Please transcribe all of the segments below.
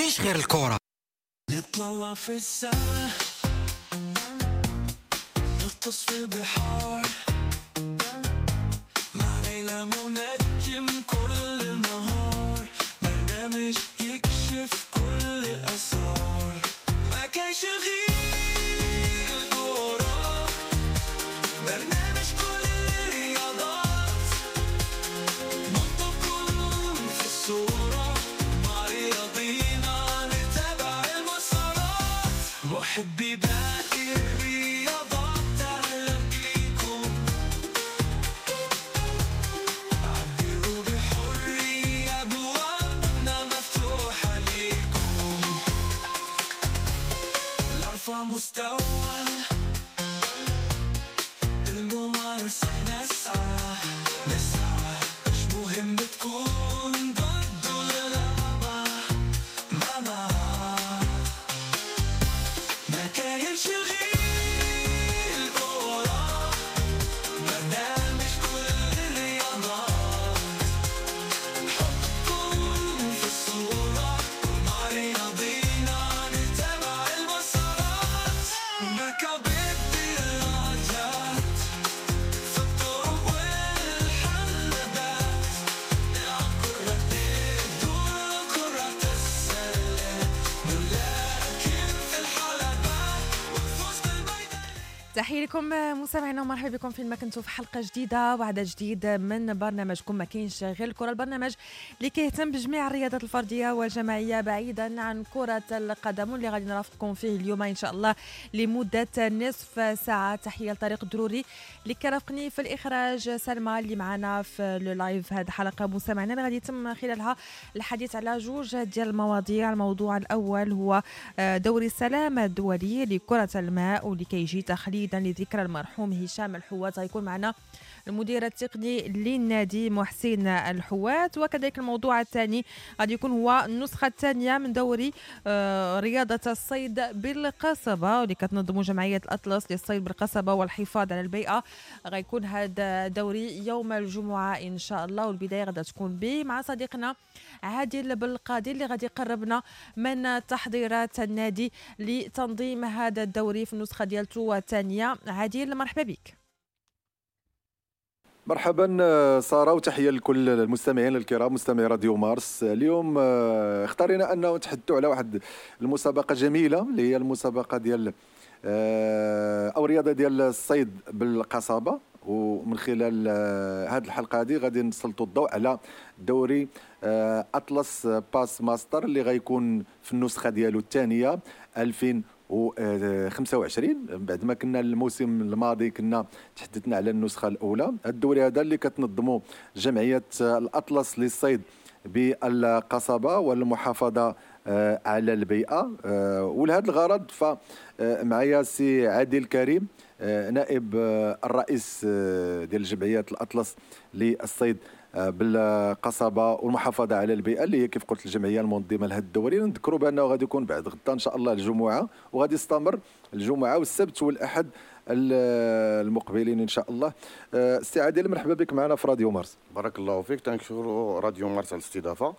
كاينش غير الكره. نطلع في السما، نغطس في البحار، مع ليلى منجم كل نهار، برنامج يكشف كل الأسرار. ما كاينش غير الكورة، برنامج كل الرياضات، نحطكم في الصورة، مع رياضينا نتابع المسارات. محبي باقي الرياضات أهلا بيكم، عبروا بحرية، أبوابنا مفتوحة ليكم، لأرفع مستوى الممارسة نسعى نسعى، مش مهم تكون ضد ولا لا، ما ما كاينش غير الكورة، برنامج كل الرياضات، حطكم في الصورة، مع رياضينا نتابع المسارات. مكابب الدراجات في الطرق والحلبات، نلعب كرة الدور كرة السلة، نلاكم في الحلبات ونفوز بالميدان. تحية لكم مستمعينا ومرحبا بكم فين ما كنتوا في حلقة جديدة وعدد جديد من برنامجكم ما كاينش غير الكرة، البرنامج اللي كيهتم بجميع الرياضات الفردية والجماعية بعيدا عن كرة القدم، واللي غادي نرافقكم فيه اليوم إن شاء الله لمدة نصف ساعة. تحية لطريق الدروري اللي كرافقني في الإخراج، سلمى اللي معنا في le live. هذه الحلقة مستمعينا اللي غادي يتم خلالها الحديث على جوج ديال المواضيع. الموضوع الأول هو دوري السلام الدولي لكرة الماء واللي كيجي تخليدا لذكرى المرحوم هشام الحوات. غيكون معنا المدير التقني للنادي محسن الحوات. وكذلك الموضوع الثاني غادي يكون هو النسخة الثانية من دوري رياضة الصيد بالقصبة واللي كتنظمه جمعية الأطلس للصيد بالقصبة والحفاظ على البيئة. غيكون هذا دوري يوم الجمعة إن شاء الله، والبداية غادي تكون به مع صديقنا عادل بالقاضي اللي غادي يقربنا من تحضيرات النادي لتنظيم هذا الدوري في النسخة ديالته الثانية. عادل مرحبا بك. مرحبا سارة، وتحية لكل المستمعين الكرام مستمعي راديو مارس. اليوم اختارينا أنه نتحدثوا على واحد المسابقة جميلة اللي هي المسابقة ديال أو رياضة ديال الصيد بالقصبة، ومن خلال هذه الحلقة هذه غادي نسلطوا الضوء على دوري أطلس باس ماستر اللي غيكون في النسخة ديالو الثانية 2025. بعد ما كنا الموسم الماضي كنا تحدثنا على النسخة الأولى. الدوري هذا اللي كتنظمه جمعية الأطلس للصيد بالقصبة والمحافظة على البيئة، ولهذا الغرض فمعايا سي عادل كريم نائب الرئيس ديال جمعية الأطلس للصيد بالقصبة والمحافظة على البيئة اللي هي كيف قلت الجمعية المنظمة لهذا الدوري. نذكروا بأنه غادي يكون بعد غدا إن شاء الله الجمعة، وغادي يستمر الجمعة والسبت والأحد المقبلين إن شاء الله. سي عادل مرحبا بك معنا في راديو مارس. بارك الله فيك، تنشكروا راديو مارس على الاستضافة.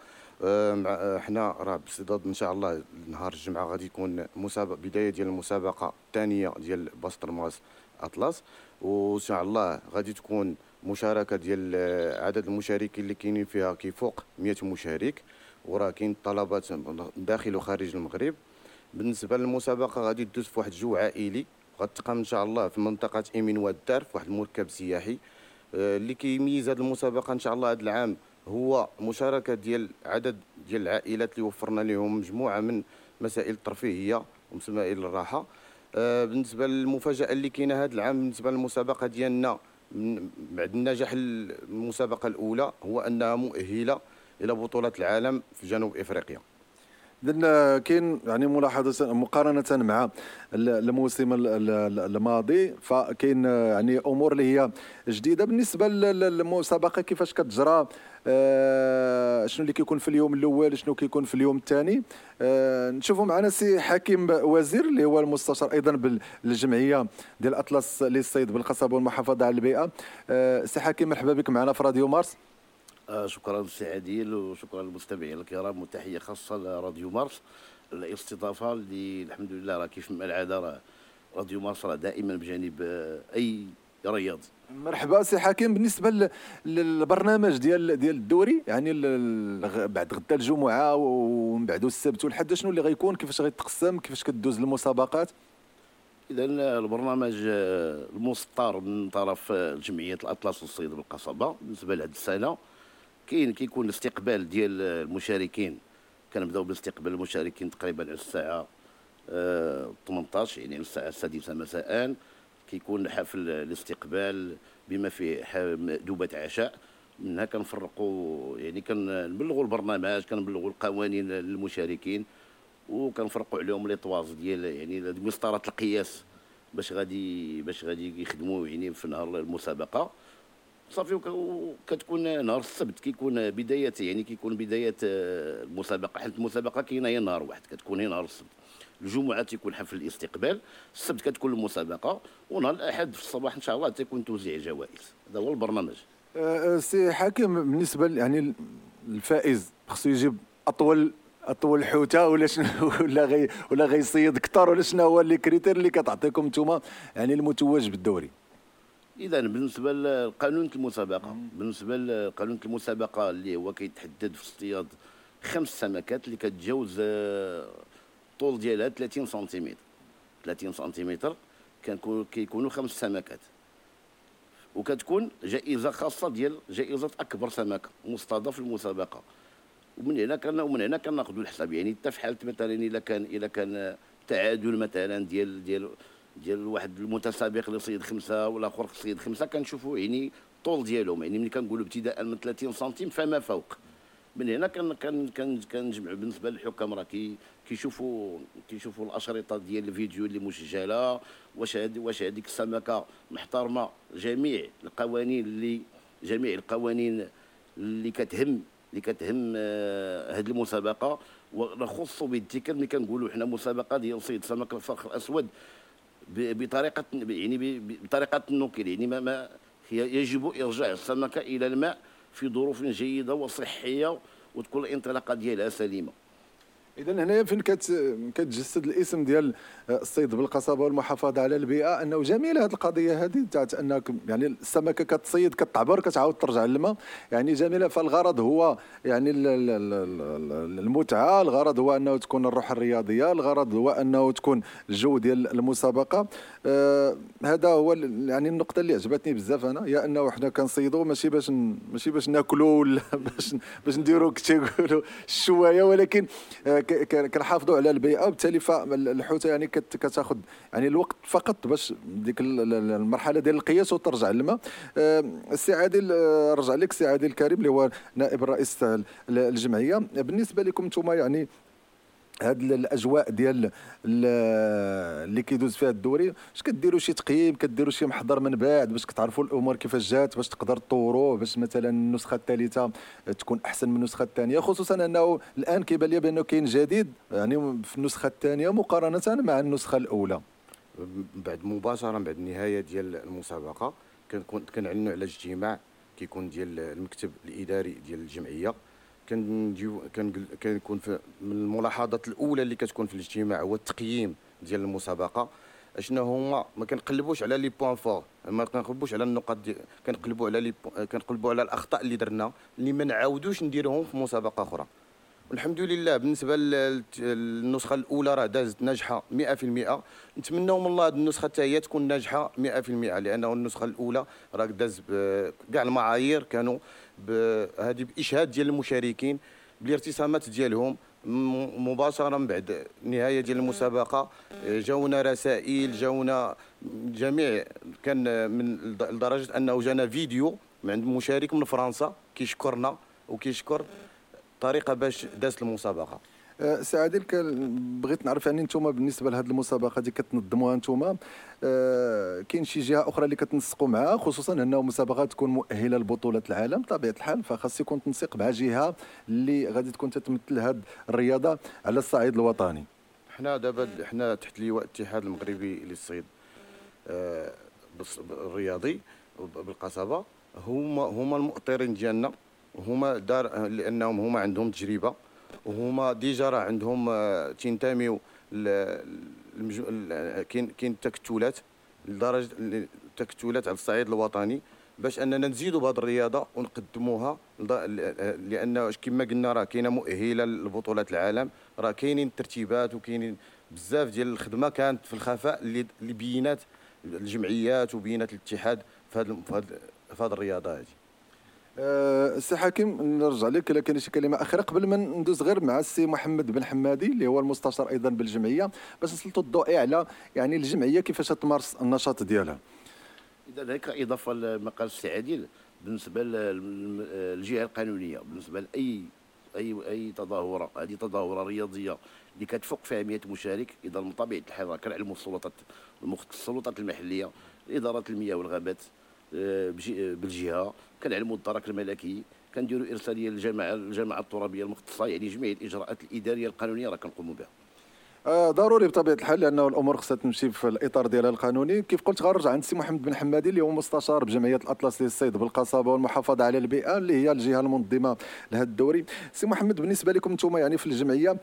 حنا راه بصدد ان شاء الله نهار الجمعة غادي يكون بداية ديال المسابقة الثانية ديال باستر ماس اطلس، وان شاء الله غادي تكون مشاركة ديال عدد المشاركين اللي كاينين فيها كيفوق 100 مشارك، وراه كاين طلبات داخل وخارج المغرب. بالنسبة للمسابقه غادي تدوز في واحد الجو عائلي، غتقام ان شاء الله في منطقة ايمين واد في واحد المركب سياحي. اللي كيميز هذه المسابقة ان شاء الله هذا العام هو مشاركة ديال عدد ديال العائلات اللي وفرنا لهم مجموعة من مسائل الترفيهية ومسائل الراحة. بالنسبة للمفاجاه اللي كاينه هذا العام بالنسبة للمسابقه ديالنا بعد النجاح المسابقة الاولى هو انها مؤهلة الى بطوله العالم في جنوب افريقيا. إذن كاين يعني ملاحظة مقارنة مع الموسم الماضي، فكاين يعني امور اللي هي جديدة بالنسبة للمسابقه، كيفاش كتجرى، شنو اللي كيكون في اليوم الاول، شنو كيكون في اليوم الثاني. نشوفوا معنا سي حكيم وزير اللي هو المستشار ايضا بالجمعيه ديال الاطلس للصيد بالقصبه والمحافظة على البيئة. سي حكيم مرحبا بك معنا في راديو مارس. شكرا سي عادل وشكرا للمستمعين الكرام، وتحية خاصة لراديو مارس الاستضافة اللي الحمد لله راه كيف ما العادة راه راديو مارس راه دائما بجانب اي رياضي. مرحبا سي حكيم. بالنسبة للبرنامج ديال الدوري، يعني بعد غدا الجمعة ومن بعد السبت والحد، شنو اللي غيكون؟ كيفاش غيتقسم؟ كيفاش كدوز المسابقات؟ اذا البرنامج المسطر من طرف جمعية الاطلس للصيد بالقصبه بالنسبة لهذه السنة، كيكون الاستقبال ديال المشاركين. كنبداو باستقبال المشاركين تقريبا على الساعة 18، يعني على الساعة 6 مساء. كيكون حفل الاستقبال بما فيه مأدوبة عشاء، منها كنفرقوا، يعني كنبلغوا البرنامج، كنبلغوا القوانين للمشاركين، وكنفرقوا عليهم les toises ديال يعني مسطرات القياس باش غادي يخدموا يعني في نهار المسابقة. صافي. وكتكون نهار السبت كيكون بداية، يعني كيكون بداية المسابقة، حيت المسابقة كاينه هي نهار واحد، كتكون هي نهار السبت. الجمعة تيكون حفل الاستقبال، السبت كتكون المسابقة، ونهار الاحد في الصباح ان شاء الله تيكون توزيع جوائز. هذا هو البرنامج. سي حكيم، بالنسبة يعني الفائز خصو يجيب اطول حوته ولا شنو، ولا غيصيد اكثر، ولا شنو هو les critères اللي كتعطيكم نتوما يعني المتوج بالدوري؟ اذا بالنسبة لقانون المسابقة، بالنسبة لقانون المسابقة اللي هو كيتحدد في اصطياد 5 سمكات اللي كتجاوز الطول ديالها 30 سنتيمتر، 30 سنتيمتر كيكونوا 5 سمكات، وكتكون جائزة خاصة ديال جائزة اكبر سمكة مصطاده في المسابقة. ومن هنا كناخذوا الحساب، يعني حتى في حاله مثلا الا كان تعادل مثلا ديال ديال ديال واحد المتسابق اللي صيد 5 والاخر صيد 5، كنشوفوا يعني الطول ديالهم، يعني ملي كنقولوا ابتداء من 30 سنتيم فما فوق. من هنا كنجمعوا. بالنسبة للحكام راه كيشوفوا الاشرطة ديال الفيديو اللي مسجله، واش هذيك السمكة محترمه جميع القوانين اللي كتهم هذه المسابقة. ونخص بالذكر ملي كنقولوا حنا مسابقة ديال صيد سمك الفرخ الاسود بطريقة، يعني بطريقة النوكيل، يعني ما يجب ارجاع السمكة الى الماء في ظروف جيدة وصحية وتكون الانطلاقة ديالها سليمة. اذا هنايا فين كتجسد الاسم ديال الصيد بالقصبه والمحافظة على البيئة، انه جميلة هذه القضية هذه تاعت انك يعني السمكة كتصيد كتعبر كتعاود ترجع للماء، يعني جميلة. فالغرض هو يعني المتعة، الغرض هو انه تكون الروح الرياضية، الغرض هو انه تكون الجو ديال المسابقة. هذا هو يعني النقطة اللي عجبتني بزاف انا، هي انه حنا كنصيدوا ماشي باش ناكلوا ولا باش نديروا كتقولوا الشوايه، ولكن كنحافظوا على البيئة. وبالتالي فالحوته يعني كتاخذ يعني الوقت فقط باش ديك المرحلة ديال القياس وترجع للماء. السي عادل، رجع لك السي عادل الكريم اللي هو نائب الرئيس الجمعية. بالنسبة لكم نتوما يعني هاد الاجواء ديال اللي كيدوز فيها الدوري، اش كديروا شي تقييم، كديروا شي محضر من بعد باش كتعرفوا الامور كيفاش جات، باش تقدر تطوروه، باش مثلا النسخة الثالثة تكون احسن من النسخة الثانية، خصوصا انه الان كيبان لي بانه كاين جديد يعني في النسخة الثانية مقارنة مع النسخة الاولى؟ بعد مباشرة بعد النهاية ديال المسابقة كنعلنوا على اجتماع كيكون ديال المكتب الاداري ديال الجمعية. كنكون من الملاحظات الاولى اللي كتكون في الاجتماع هو التقييم ديال المسابقة. اشنو هما؟ ما كنقلبوش على les points forts، ما كنقلبوش على النقاط، كنقلبوا على كنقلبوا على الاخطاء اللي درنا اللي ما نعاودوش نديروهم في مسابقة اخرى. والحمد لله بالنسبة للنسخه الاولى راه دازت ناجحة 100%. نتمناو من الله هذه النسخة حتى هي تكون ناجحة 100%، لانه النسخة الاولى راه داز كاع المعايير كانوا هذه باشهاد ديال المشاركين بالارتسامات ديالهم مباشرة من بعد النهاية ديال المسابقة. جاونا رسائل، جاونا جميع، كان من لدرجة انه جانا فيديو من عند مشارك من فرنسا كيشكرنا وكيشكر الطريقة باش دازت المسابقة. سي عادل، بغيت نعرف يعني نتوما بالنسبة لهذه المسابقة دي كتنظموها نتوما، كاين شي جهة اخرى اللي كتنسقوا معها، خصوصا انه مسابقة تكون مؤهلة لبطولة العالم بطبيعة الحال، فخاص يكون تنسيق مع جهة اللي غادي تكون تتمثل هذه الرياضة على الصعيد الوطني. حنا دابا حنا تحت لواء الاتحاد المغربي للصيد الرياضي بالقصبه، هما المؤطرين ديالنا هما دار لانهم هما عندهم تجربه، وهما déjà راه عندهم تنتميو كاين تكتلات لدرجة التكتلات على الصعيد الوطني باش اننا نزيدوا بهذه الرياضة ونقدموها، لان كما قلنا راه كاينه مؤهلة لبطولات العالم، راه كاينين الترتيبات وكاينين بزاف ديال الخدمة كانت في الخفاء اللي بينات الجمعيات وبينات الاتحاد في هذه الرياضة هذه. السي حكيم نرجع لك الا كاين شي كلمة اخيرة قبل ما ندوز غير مع السي محمد بن حمادي اللي هو المستشار ايضا بالجمعيه باش نسلطوا الضوء على يعني الجمعية كيفاش تمارس النشاط ديالها. اذا هيك اضافه لما قال السي عادل بالنسبة للجهة القانونية، بالنسبة لاي اي اي تظاهرة، هذه تظاهرة رياضية اللي كتفوق فيها 100 مشارك، اذا من طبيعة الحال راه كنعلموا السلطات المحلية، ادارة المياه والغابات بالجهة، كنعلموا الدرك الملكي، كنديروا ارسالية للجماعة الترابيه المختصة، يعني جميع الاجراءات الادارية القانونية راه كنقوموا بها. ضروري بطبيعة الحال لانه الامور خصها تمشي في الاطار ديالها القانوني. كيف قلت غنرجع عند السي محمد بن حمادي اللي هو مستشار بجمعية الاطلس للصيد بالقصبه والمحافظة على البيئة اللي هي الجهة المنظمة لهذا الدوري. سي محمد، بالنسبة لكم انتم يعني في الجمعية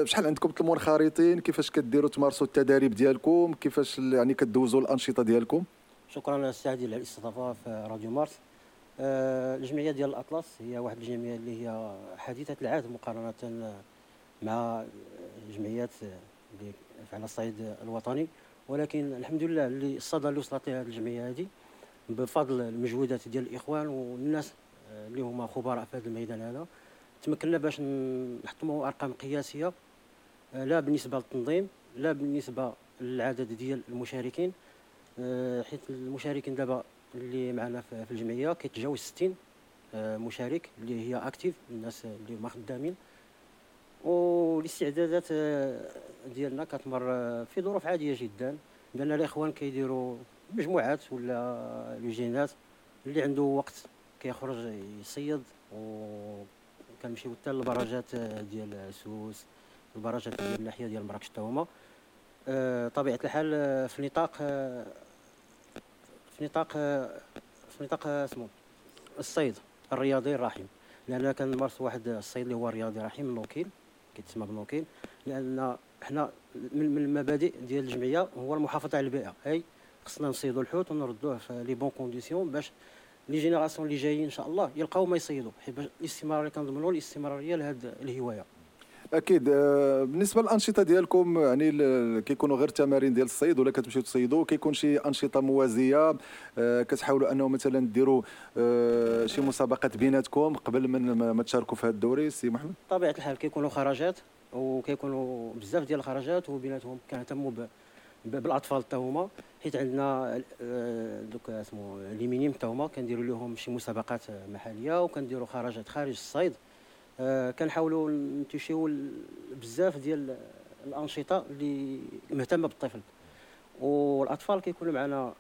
شحال عندكم المنخرطين، كيفاش كديروا تمارسوا التداريب ديالكم، كيفاش يعني كدوزوا الانشطة ديالكم؟ شكرا السي عادل على الاستضافة في راديو مارس. الجمعية ديال الاطلس هي واحد الجمعية اللي هي حديثه العهد مقارنة مع الجمعيات اللي على الصعيد الوطني، ولكن الحمد لله اللي الصدى اللي وصلت لها الجمعية هذه بفضل المجهودات ديال الاخوان والناس اللي هما خبراء في هذا الميدان هذا، تمكنا باش نحطموا ارقام قياسية لا بالنسبة للتنظيم لا بالنسبة للعدد ديال المشاركين، حيت المشاركين دابا اللي معنا في الجمعية كيتجاوز 60 مشارك اللي هي actifs، الناس اللي هما خدامين. والاستعدادات ديالنا كتمر في ظروف عادية جدا، بان الاخوان كيديروا مجموعات ولا لجينات، اللي عنده وقت كيخرج يصيد، وكنمشيو حتى للبراجات ديال سوس، البراجات ديال الناحية ديال مراكش حتى هما. طبيعة الحال في نطاق اسمو الصيد الرياضي الرحيم، لان كنمارس واحد الصيد اللي هو الرياضي الرحيم no kill، كيتسمى ب no kill، لان حنا من المبادئ ديال الجمعية هو المحافظة على البيئة، اي خصنا نصيدوا الحوت ونردوه في les bonnes conditions باش les générations اللي جايين ان شاء الله يلقاو ما يصيدوا، حيت الاستمرارية كنضمنوا الاستمرارية لهذه الهواية. اكيد. بالنسبة للانشطه ديالكم يعني كيكونوا غير تمارين ديال الصيد ولا كتمشيو تصيدوا، كيكون شي انشطة موازية كتحاولوا انه مثلا ديروا شي مسابقات بيناتكم قبل من ما تشاركوا في هذا الدوري؟ سي محمد. طبيعة الحال كيكونوا خرجات وكيكونوا بزاف ديال الخرجات، وبيناتهم كنهتموا بالاطفال حتى هما، حيت عندنا دوك اسمو les minimes حتى هما كنديروا لهم شي مسابقات محليه وكنديروا خرجات خارج الصيد. كنحاولوا نتوشيو بزاف ديال الانشطة اللي مهتمة بالطفل، والاطفال كيكونوا معنا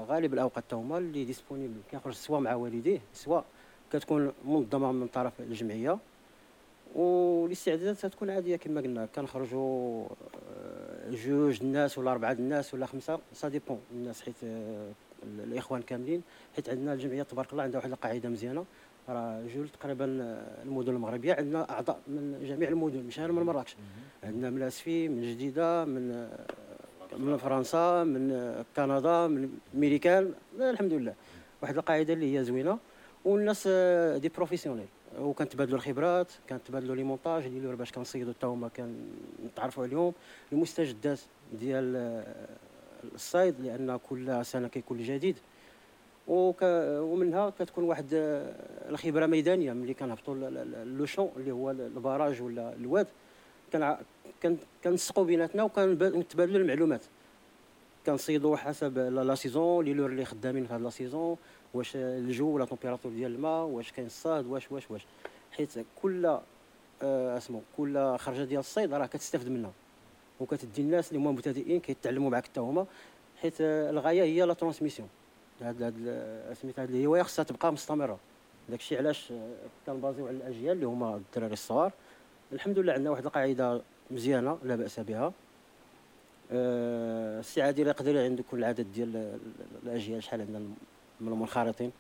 غالب الاوقات حتى هما اللي disponibles، كيخرج سواء مع والديه سواء كتكون منظمة من طرف الجمعية. والاستعدادات تكون عادية كما قلنا، كنخرجوا جوج الناس ولا اربعة الناس ولا خمسة، ça dépend الناس، حيت الاخوان كاملين، حيت عندنا الجمعية تبارك الله عندها واحد القاعدة مزيانه، راه جول تقريبا المدن المغربية عندنا اعضاء من جميع المدن، مش غير من مراكش، عندنا من اسفي، من جديدة، من فرنسا، من كندا، من ميريكان، الحمد لله واحد القاعدة اللي هي زوينة، والناس des professionnels، وكنتبادلوا الخبرات، كنتبادلوا les montages les leurres باش كنصيدوا حتى هما كنتعرفوا عليهم، المستجدات ديال الصيد لان كل سنة كيكون جديد، ومنها كتكون واحد الخبرة ميدانية ملي كنهبطوا le champ اللي هو ال barrage ولا الواد، كنسقوا بيناتنا وكنتبادلوا المعلومات، كنصيدوا حسب la saison، les leurres اللي خدامين في هاد la saison، واش الجو ولا température ديال الماء، واش كاين الصهد، واش واش واش، حيت كل اسمو كل خرجه ديال الصيد راه كتستافد منها، وكتدي الناس اللي هما مبتدئين كيتعلموا معاك حتى هما، حيت الغاية هي la transmission، هاد سميتها هاد الهواية خصها تبقى مستمرة. داكشي علاش كنبازيو على الاجيال اللي هما الدراري الصغار. الحمد لله عندنا واحد القاعدة مزيانه لا باس بها. السي عادل يقدر عنده كل العدد ديال الاجيال، شحال عندنا من المنخرطين؟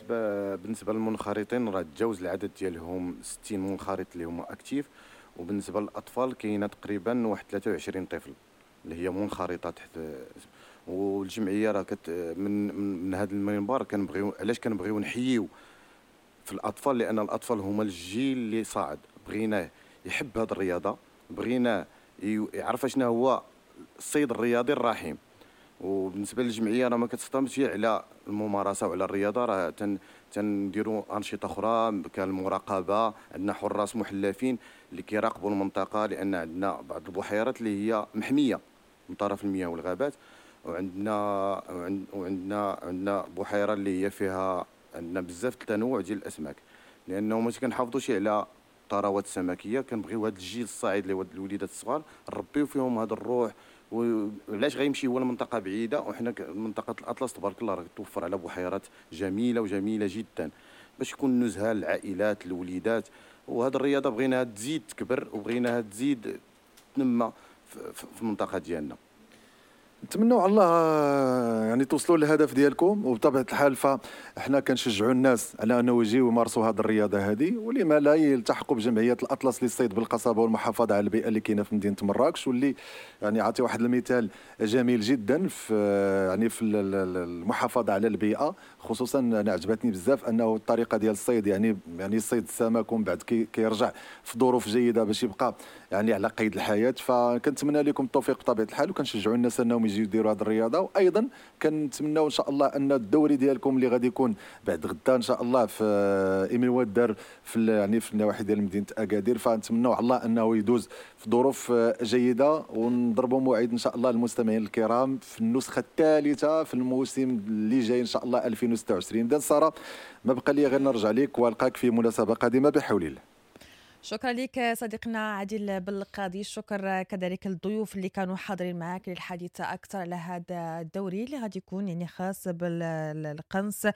بالنسبة للمنخرطين راه تجاوز العدد ديالهم 60 منخرط اللي هما actifs، وبالنسبة للاطفال كاينه تقريبا واحد 23 طفل اللي هي منخرطه تحت. والجمعية راه من هذا المنبر كنبغيو، علاش كنبغيو نحييو في الاطفال؟ لان الاطفال هما الجيل اللي صاعد، بغيناه يحب هذه الرياضة، بغيناه يعرف شنو هو الصيد الرياضي الرحيم. وبالنسبة للجمعية راه ما كتستمرش على الممارسة وعلى الرياضة، راه تنديروا انشطة اخرى كالمراقبه، عندنا حراس محلفين اللي كيراقبوا المنطقة، لان عندنا بعض البحيرات اللي هي محمية من طرف المياه والغابات، وعندنا وعندنا عندنا بحيرة اللي هي فيها عندنا بزاف التنوع ديال الاسماك، لانه ما كنحافظوش على الثروات السمكيه. كنبغيو هذا الجيل الصاعد اللي هو الوليدات الصغار نربيو فيهم هذا الروح. وعلاش غيمشي هو لمنطقه بعيدة وحنا منطقة الاطلس تبارك الله راه توفر على بحيرات جميلة وجميلة جدا باش يكون نزهه للعائلات الوليدات. وهذه الرياضة بغيناها تزيد تكبر وبغيناها تزيد تنمى في المنطقة ديالنا. نتمنوا على الله يعني توصلوا للهدف ديالكم، وبطبيعة الحال فاحنا كنشجعوا الناس على انه يجيو يمارسوا هذه الرياضة هذه، ولما لا يلتحقوا بجمعية الاطلس للصيد بالقصبه والمحافظة على البيئة اللي كاينه في مدينة مراكش، واللي يعني عطي واحد المثال جميل جدا في يعني في المحافظة على البيئة. خصوصا انا عجبتني بزاف انه الطريقة ديال الصيد يعني صيد السمك ومن بعد كيرجع في ظروف جيدة باش يبقى يعني على قيد الحياة. فكنتمنى لكم التوفيق بطبيعة الحال، وكنشجعوا الناس انهم يجيو يديروا هذه الرياضة. وايضا كنتمناو ان شاء الله ان الدوري ديالكم اللي غادي يكون بعد غدا ان شاء الله في ايمي ودر في يعني في النواحي ديال مدينة اكادير، فنتمناو على الله انه يدوز في ظروف جيدة، ونضربوا موعد ان شاء الله المستمعين الكرام في النسخة الثالثة في الموسم اللي جاي ان شاء الله 2026. اذا ساره ما بقى لي غير نرجع لك والقاك في مناسبة قادمة بحول الله. شكرا لك صديقنا عادل بالقاضي، شكر كذلك للضيوف اللي كانوا حاضرين معك للحديث اكثر على هذا الدوري اللي غادي يكون يعني خاص بالقنص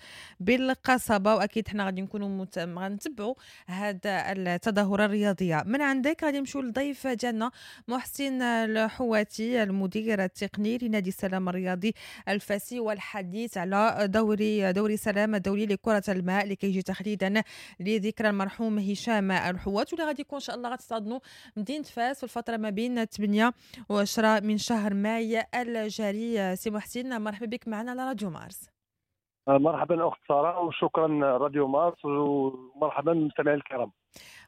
بالقصبه، واكيد حنا غادي نكونوا غنتبعوا هذا التظاهرة الرياضية. من عندك غادي نمشيو للضيف ديالنا محسن الحواتي المدير التقني لنادي السلام الرياضي الفاسي، والحديث على دوري سلام الدولي لكرة الماء اللي كيجي تخليدا لذكرى المرحوم هشام الحوات، واللي غادي يكون ان شاء الله غتستضنوا مدينة فاس في الفترة ما بين 8 و10 من شهر ماي الجاري. سي محسن مرحبا بك معنا على راديو مارس. مرحبا اخت ساره، وشكرا راديو مارس، ومرحبا بالمستمعين الكرام.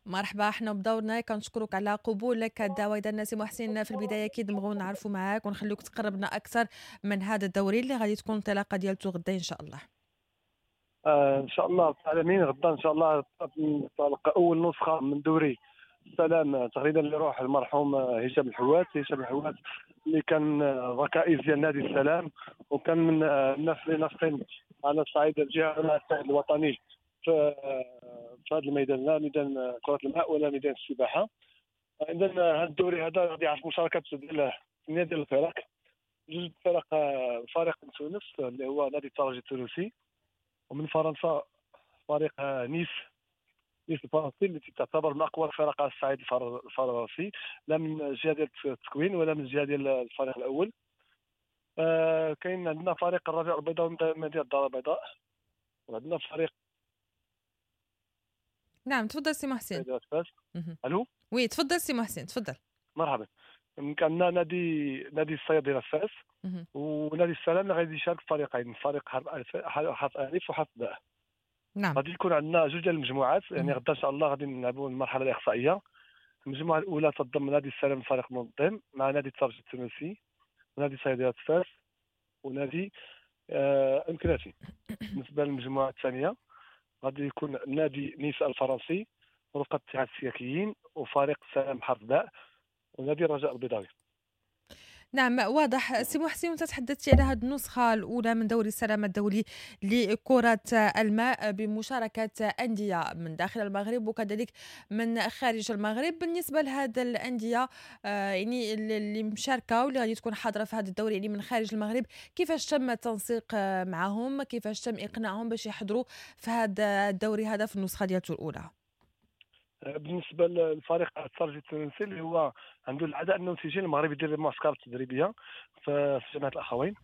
مرحبا، احنا بدورنا كنشكرك على قبولك الدعوة. اذا سي محسن في البداية اكيد نبغيو نعرفوا معاك ونخليوك تقربنا اكثر من هذا الدوري اللي غادي تكون الانطلاقة ديالته غدا ان شاء الله. ان شاء الله العالمين غدا ان شاء الله تنطلق اول نسخه من دوري السلام تقريبا لروح المرحوم هشام الحوات. هشام الحوات اللي كان ركائز ديال نادي السلام، وكان من الناس اللي ناشطين على الصعيد الجهوي وعلى الصعيد الوطني في هذا الميدان، لا ميدان كرة الماء ولا ميدان السباحة. اذا هذا الدوري هذا غادي يعرف مشاركة ديال 8 ديال الفرق، جوج فرق، فريق من تونس اللي هو نادي الترجي التونسي، ومن فرنسا فريق نيس الفرنسي اللي تعتبر من اقوى الفرق على الصعيد الفرنسي، لا من الجهة ديال التكوين ولا من الجهة ديال الفريق الاول. كاين عندنا فريق الرجاء البيضاء من مدينة الدار البيضاء، وعندنا فريق. نعم تفضل سي محسن. الو oui تفضل سي محسن تفضل. مرحبا. عندنا نادي الصيادله فاس ونادي السلام اللي غادي يشارك فريقين، فريق حرف الف وحرف باء. نعم. غادي يكون عندنا جوج ديال المجموعات، يعني غدا ان شاء الله غادي نلعبوا المرحلة الاقصائية. المجموعة الاولى تضم نادي السلام الفريق المنظم مع نادي الترجي التونسي ونادي صيادله فاس ونادي امكناتي. بالنسبة للمجموعة الثانية غادي يكون نادي نيس الفرنسي ورفقه اتحاد السياكيين وفريق السلام حرف باء ونادي الرجاء البيضاوي. نعم واضح سي محسن، وانت تحدثتي على هذه النسخة الأولى من دوري السلام الدولي لكرة الماء بمشاركة أندية من داخل المغرب وكذلك من خارج المغرب. بالنسبة لهذه الأندية يعني اللي مشاركة واللي غادي تكون حاضرة في هذا الدوري يعني من خارج المغرب، كيفاش تم التنسيق معهم؟ كيفاش تم إقناعهم باش يحضروا في هذا الدوري هذا في النسخة ديالته الأولى؟ بالنسبة للفريق الترجي التونسي اللي هو عنده العادة انه تيجي المغرب يدير المعسكرات التدريبية في جامعه الاخوين.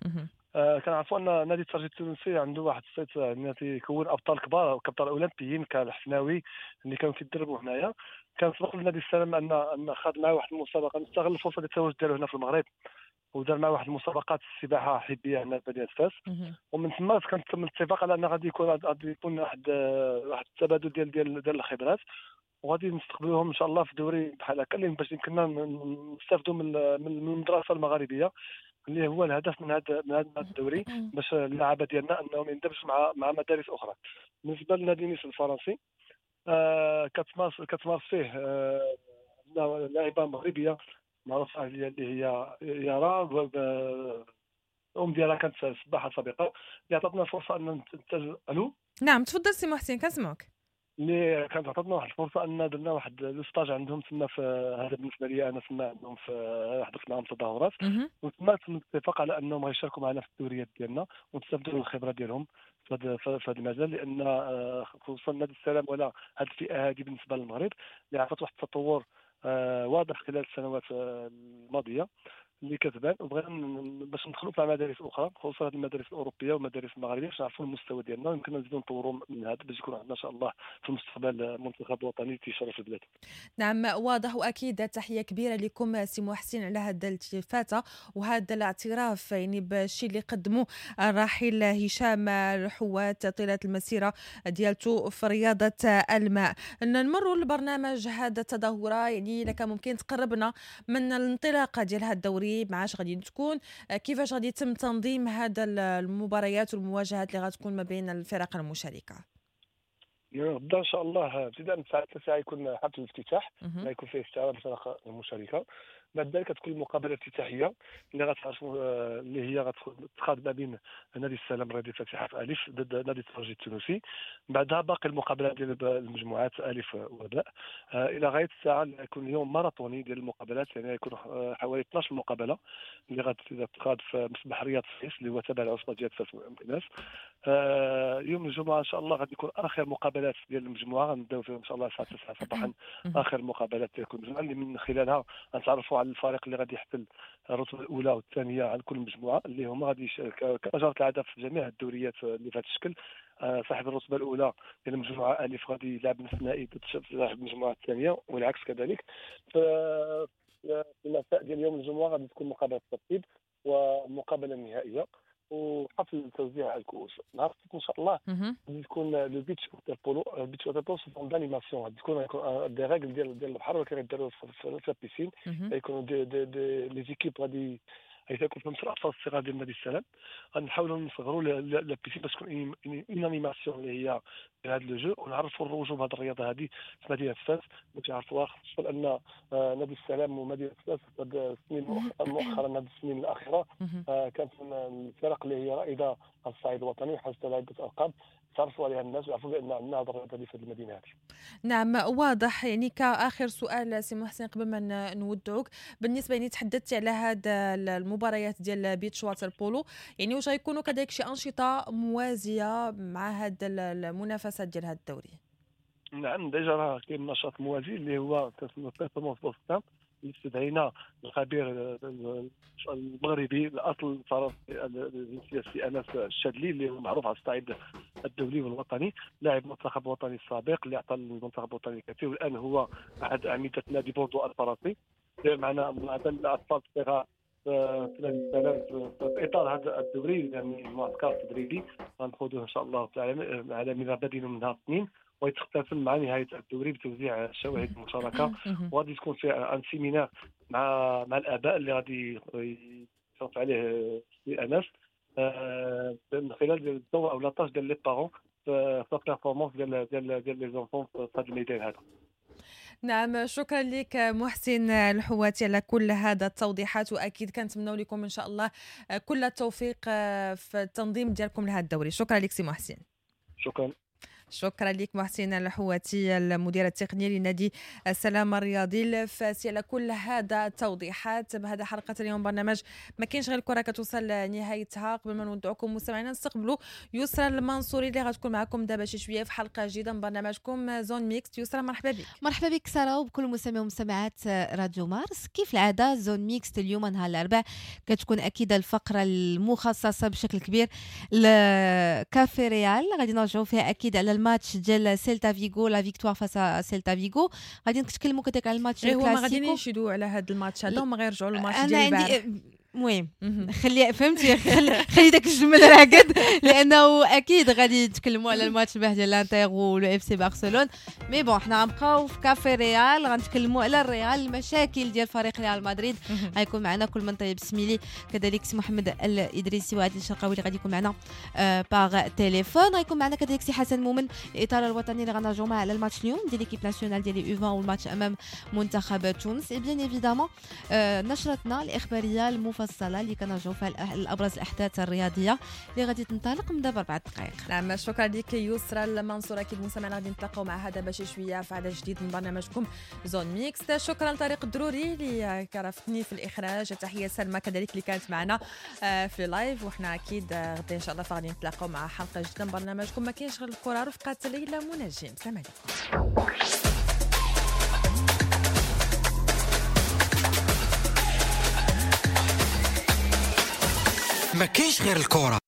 كنعرفوا ان نادي الترجي التونسي عنده واحد الصيت، يعني تيكون ابطال كبار وكابطال اولمبيين كالحفناوي اللي كانوا كيدربوا هنايا. كان سبق لنادي السلام ان خاض معاه واحد المسابقة، نستغل الفرصة ديال التواجد ديالو هنا في المغرب ودار معاه واحد المسابقات السباحة حبيه هنا في مدينة فاس. ومن ثم كان تم الاتفاق على ان غادي يكون واحد التبادل ديال ديال ديال الخبرات، وغادي نستقبلوهم ان شاء الله في دوري بحال هكا اللي باش يمكننا نستافدوا من المدرسة المغاربية اللي هو الهدف من هذا الدوري، باش اللعابه ديالنا انهم يندمجوا مع مدارس اخرى. بالنسبة لنادي نيس الفرنسي كتمارس فيه لاعبه مغربية معروفة اللي هي يارا، الام ديالها كانت سباحة سابقه، اللي عطاتنا فرصة ان الو. نعم تفضل سي محسن كنسمعك. اللي كانت عطاتنا واحد الفرصة ان درنا واحد le stage عندهم تما، في هذا بالنسبة لي انا تما عندهم في حضرت معاهم تظاهرات، وتما تم الاتفاق على انهم غيشاركوا معنا في الدوريات ديالنا ونستافدوا من الخبرة ديالهم في هذا المجال، لان خصوصا نادي السلام ولا هذه الفئة هذه بالنسبة للمغرب اللي عرفت واحد التطور واضح خلال السنوات الماضية اللي كتبان، وبغينا باش ندخلوا في مدارس اخرى خصوصا المدارس الاوروبية والمدارس المغربية باش نعرفوا المستوى ديالنا ويمكن نزيدوا نطوروا من هذا باش يكون عندنا ان شاء الله في المستقبل منتخب وطني تيشرف البلاد. نعم واضح، واكيد تحية كبيرة لكم سي محسن على هذا الالتفاته وهذا الاعتراف يعني بالشيء اللي قدموه الراحل هشام الحوات طيلة المسيرة ديالته في رياضة الماء. نمروا للبرنامج هذا التظاهرة، يعني اذا كان ممكن تقربنا من الانطلاقة ديال هذا الدوري، معاش غادي تكون، كيفاش غادي يتم تنظيم هذا المباريات والمواجهات اللي غتكون ما بين الفرق المشاركة؟ غدا ان شاء الله ابتداء من الساعة 9 يكون حفل الافتتاح اللي يكون فيه استعراض الفرق المشاركة. بعد ذلك تكون المقابلة الافتتاحيه اللي غتعرفوا اللي هي غتخاض ما بين نادي السلام الرياضي الفاتحة في الف ضد نادي الترجي التونسي. بعدها باقي المقابلات ديال المجموعات الف وباء الى غاية الساعة اللي يكون اليوم ماراطوني ديال المقابلات، يعني يكون حوالي 12 مقابله اللي غتخاض في مسبح رياض السيس اللي هو تابع للعصبه ديال فاس مكناس. يوم الجمعة ان شاء الله غادي يكون اخر مقابلات ديال المجموعة، غنبداو فيهم ان شاء الله الساعة 9 صباحا اخر مقابلات ديال كل مجموعة اللي من خلالها غنتعرفوا على الفريق اللي غادي يحتل الرتبة الاولى والثانية على كل مجموعة، اللي هما غادي كما جرت العادة في جميع الدوريات اللي في هذا الشكل. صاحب الرتبة الاولى ديال المجموعة الف غادي يلعب نصف النهائي ضد صاحب المجموعة الثانية والعكس كذلك. في المساء ديال يوم الجمعة غادي تكون مقابله الترتيب ومقابله النهائية وحفل توزيع الكؤوس. نهار السبت ان شاء الله غادي تكون le beach water polo. ال beach water polo c'est d'animation، غادي تكون des règles ديال البحر ولكن غيديروا في la piscine، غيكونوا des des des les équipes غادي غيكون فيهم الاطفال الصغار ديال نادي السلام. غنحاولوا نصغروا la piscine باش تكون une animation اللي هي هذا le jeu، ونعرفوا الروجوا بهذه الرياضة هذه في مدينة فاس باش يعرفوها، خصوصا ان نادي السلام ومدينة فاس هاد السنين مؤخرا هاد السنين الاخيرة كانت من الفرق اللي هي رائدة على الصعيد الوطني وحازت على عده القاب تعرفوا عليها الناس ويعرفوا بان عندنا هذه الرياضة في المدينة هذه. نعم واضح. يعني كاخر سؤال سي محسن قبل ما نودعوك، بالنسبة يعني تحدثت على هذا المباريات ديال beach water polo، يعني واش غيكونوا كذلك شي انشطة موازية مع هذا المنافسات ديال هذا الدوري؟ نعم déjà راه كاين نشاط موازي اللي هو كنسميو performance بوستام، اللي استدعينا الخبير المغربي الاصل الفرنسي الجنسية السي انس الشادلي اللي هو معروف على الصعيد الدولي والوطني، لاعب المنتخب الوطني السابق اللي اعطى للمنتخب الوطني الكثير، والان هو احد اعمدة نادي بوردو الفرنسي. داير معنا الاطفال الصغار في نادي السلام في اطار هذا الدوري، يعني المعسكر التدريبي غنخوضوه ان شاء الله تعالى على مدى من نهار الاثنين، ويتختتم مع نهاية الدوري بتوزيع الشواهد المشاركة. وغادي تكون في un séminaire مع الاباء اللي غادي يشرف عليه سي انس من خلال الدور او la tâche ديال les parents في la performance ديال ديال ديال les enfants في هذا الميدان هذا. نعم شكرا لك محسن الحواتي على كل هذا التوضيحات، واكيد كنتمنوا لكم ان شاء الله كل التوفيق في التنظيم ديالكم لهذا الدوري. شكرا لك سي محسن. شكرا. شكرا لك محسن الحواتي، المدير التقني لنادي السلام الرياضي الفاسي، على كل هذا التوضيحات. بهذا حلقة اليوم برنامج ما كاينش غير الكره كتوصل لنهايتها. قبل ما نودعكم مستمعينا نستقبلوا يسرى المنصوري اللي غتكون معكم دابا شي شوية في حلقة جديدة من برنامجكم Zone Mixte. يسرى مرحبا بك. مرحبا بك ساره وبكل مستمعي ومستمعات راديو مارس. كيف العادة Zone Mixte اليوم نهار الاربعاء كتكون اكيد الفقرة المخصصة بشكل كبير لكافي ريال، غادي نرجعوا فيها اكيد على الماتش ديال سيلتا فيغو، la victoire face سيلتا فيغو. غادي نتكلموا كذلك على الماتش الكلاسيكو. هما غادي يشدوا على هذا الماتش هذا وما غيرجعوا للماتش ديال البارح. المهم خلي فهمتي، خلي داك الجمل راقد، لانه اكيد غادي يتكلموا على الماتش البارح ديال الانتر و FC برشلونة. mais bon حنا غنبقاو في كافي ريال، غنتكلموا على الريال، المشاكل ديال فريق ريال مدريد. غيكون معنا كل من طيب سميلي، كذلك سي محمد الادريسي وعادل الشرقاوي اللي غادي يكون معنا par téléphone. غيكون معنا كذلك سي حسن مومن الاطار الوطني اللي غنرجعوا معاه على الماتش اليوم ديال l'équipe nationale ديال U20 والماتش امام منتخب تونس. et bien évidemment نشرتنا الاخبارية المفصلة اللي كنرجعوا فيها الابرز الاحداث الرياضية اللي غادي تنطلق من دابا 4 دقائق. نعم شكرا لك يسرى المنصور. اكيد مستمعينا غادي نتلاقاو مع هذا باش شوية في عدد جديد من برنامجكم Zone Mixte. شكرا لطارق الدروري اللي كرفتني في الاخراج، تحية سلمى كذلك اللي كانت معنا في live، وحنا اكيد غدا ان شاء الله غادي نتلاقاو مع حلقة جديدة من برنامجكم ما كاينش غير الكره رفقه ليلى منجم. سلام عليكم. ما كاينش غير الكرة.